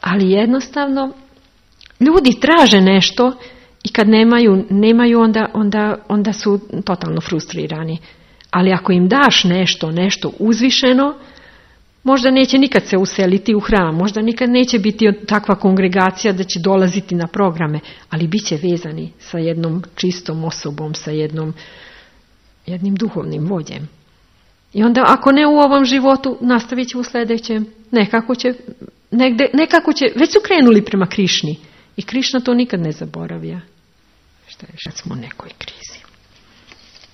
Ali jednostavno ljudi traže nešto i kad nemaju, nemaju onda, onda, onda su totalno frustrirani. Ali ako im daš nešto, nešto uzvišeno, možda neće nikad se useliti u hram, možda nikad neće biti takva kongregacija da će dolaziti na programe, ali bit će vezani sa jednom čistom osobom, sa jednom, jednim duhovnim vođem. I onda ako ne u ovom životu, nastavit će u sljedećem, nekako će, negde, nekako će, već su krenuli prema Krišni i Krišna to nikad ne zaboravlja. Šta je, sad smo u nekoj krizi.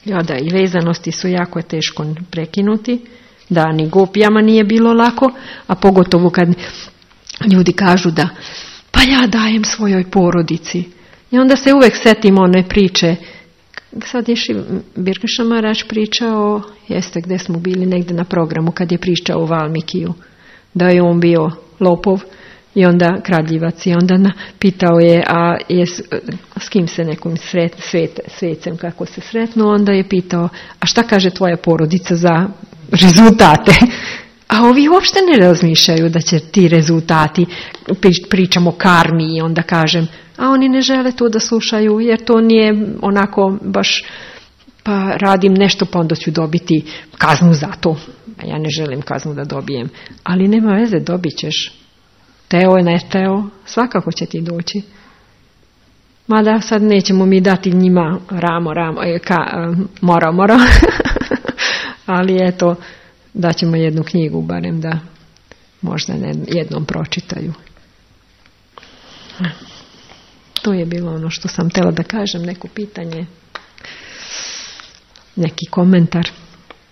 Ja da, i vezanosti su jako teško prekinuti. Da, ni gopijama nije bilo lako, a pogotovo kad ljudi kažu da pa ja dajem svojoj porodici. I onda se uvijek setimo one priče. Sad je Birkaša Maharaj pričao, jeste gdje smo bili negdje na programu, kad je pričao o Valmikiju, da je on bio lopov i onda kradljivac. I onda na, pitao je, a je, s kim se nekom sret, svet, svecem kako se sretno, onda je pitao, a šta kaže tvoja porodica za rezultate? A ovi uopšte ne razmišljaju da će ti rezultati, pričamo o karmi i onda kažem, a oni ne žele to da slušaju jer to nije onako baš, pa radim nešto pa onda ću dobiti kaznu za to. A ja ne želim kaznu da dobijem. Ali nema veze, dobit ćeš. Teo je ne teo, svakako će ti doći. Mada sad nećemo mi dati njima ramo, ramo, ka, mora, mora. Ali eto, daćemo jednu knjigu, barem da možda jednom pročitaju. To je bilo ono što sam htjela da kažem, neko pitanje, neki komentar,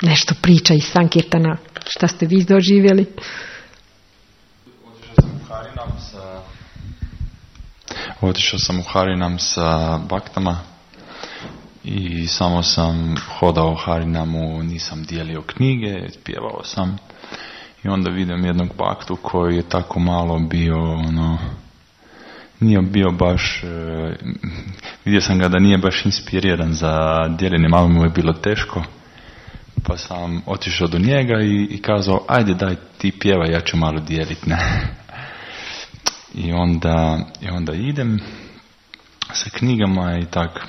nešto priča iz Sankirtana, šta ste vi doživjeli? Otišao sam u Harinam sa baktama i samo sam hodao Harinamu, nisam dijelio knjige, pjevao sam. I onda vidim jednog baktu koji je tako malo bio, ono, nije bio baš, e, vidio sam ga da nije baš inspiriran za dijeljenje, malo mu je bilo teško. Pa sam otišao do njega i, i kazao, ajde daj ti pjevaj, ja ću malo dijeliti, ne. I onda, i onda idem sa knjigama i tak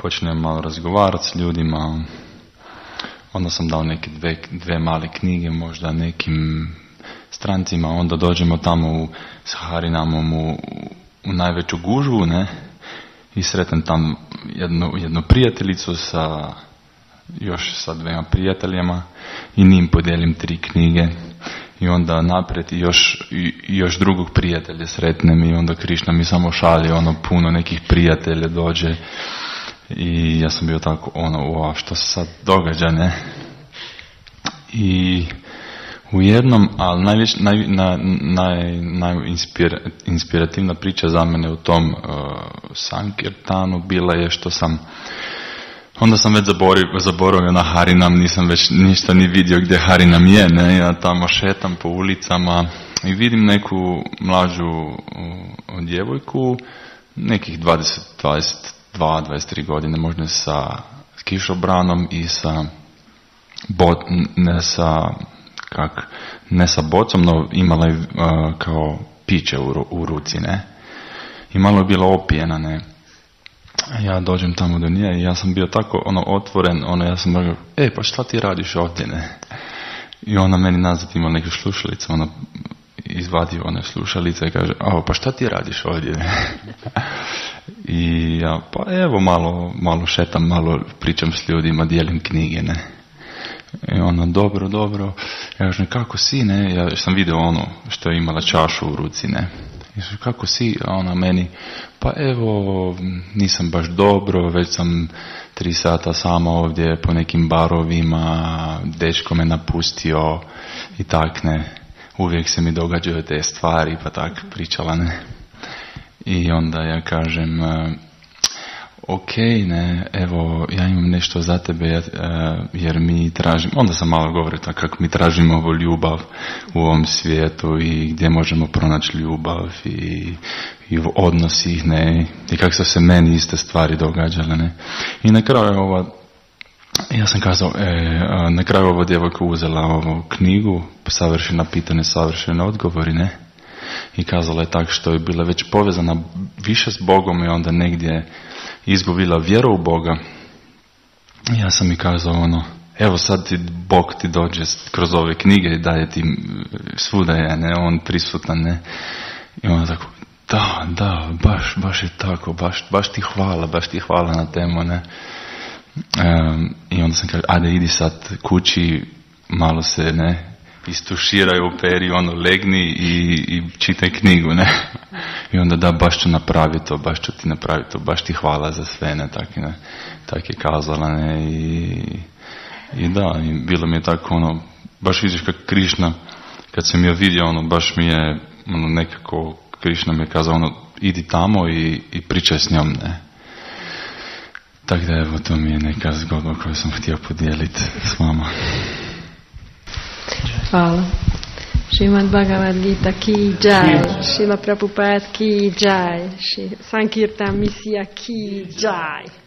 počnem malo razgovarati s ljudima. Onda sam dao neke dve, dve male knjige, možda nekim strancima. Onda dođemo tamo u, s Harinamom u, u najveću gužvu, ne. I sretnem tam jednu, jednu prijateljicu sa, još sa dvema prijateljima i njim podijelim tri knjige. I onda naprijed i još, i, i još drugog prijatelja sretnem i onda Krišna mi samo šalje, ono, puno nekih prijatelja dođe. I ja sam bio tako, ono, wow, što se sad događa, ne? I u jednom, ali najviš, naj, naj, naj, najinspirativna priča za mene u tom uh, Sankirtanu bila je što sam, onda sam već zaboravio, zaboravio na Harinam, nisam već ništa ni vidio gdje Harinam je, ne? Ja tamo šetam po ulicama i vidim neku mlađu uh, djevojku, nekih dvadeset, dvadeset dva, dvadeset tri godine, možda sa kišobranom i sa bot, ne sa kak, ne sa bocom, no imala je uh, kao piće u, u ruci, ne. I malo je bila opijena, ne. Ja dođem tamo do nje i ja sam bio tako ono otvoren, ono ja sam rekao, e pa šta ti radiš ovdje, ne. I ona meni nazad ima neke slušalice, ona izvadio one slušalice i kaže, a pa šta ti radiš ovdje, ne. I ja, pa evo malo, malo šetam, malo pričam s ljudima, dijelim knjige, ne. I ona, dobro, dobro. Ja kažem, kako si, ne? Ja sam vidio ono što je imala čašu u ruci, ne. I kažem, kako si? A ona meni, pa evo, nisam baš dobro, već sam tri sata sama ovdje po nekim barovima, dečko me napustio i tak, ne. Uvijek se mi događaju te stvari, pa tak pričala, ne. I onda ja kažem, ok, ne, evo, ja imam nešto za tebe, jer mi tražimo, onda sam malo govorio tako kako mi tražimo ovu ljubav u ovom svijetu i gdje možemo pronaći ljubav i, i u odnosih, ne, i kako su se meni iste stvari događale, ne. I na kraju ova, ja sam kazao, e, na kraju ova djevojka uzela ovu knjigu, savršena pitanja, savršene odgovori, ne. I kazala je tako što je bila već povezana više s Bogom i onda negdje izgubila vjeru u Boga. Ja sam mi kazao ono, evo sad ti Bog ti dođe kroz ove knjige i daje ti svuda je, ne, on prisutan, ne. I ona tako, da, da, baš, baš je tako, baš, baš ti hvala, baš ti hvala na temu, ne. Um, I onda sam kaže, ajde idi sad kući, malo se, ne, istuširaj u peri, ono, legni i, i čitaj knjigu, ne. I onda da, baš ću napraviti to, baš ću ti napraviti to, baš ti hvala za sve, ne, tak, ne, tak je kazala, ne, i, i da, i bilo mi je tako, ono, baš vidiš kako Krišna, kad sam je vidio, ono, baš mi je, ono, nekako, Krišna mi je kazao, ono, idi tamo i, i pričaj s njom, ne. Tako da, evo, to mi je neka zgodba koju sam htio podijeliti s vama. Hvala. Šrimad Bhagavad Gita ki jai, Šrila Prabhupada ki jai, Sankirtan Misija ki jai.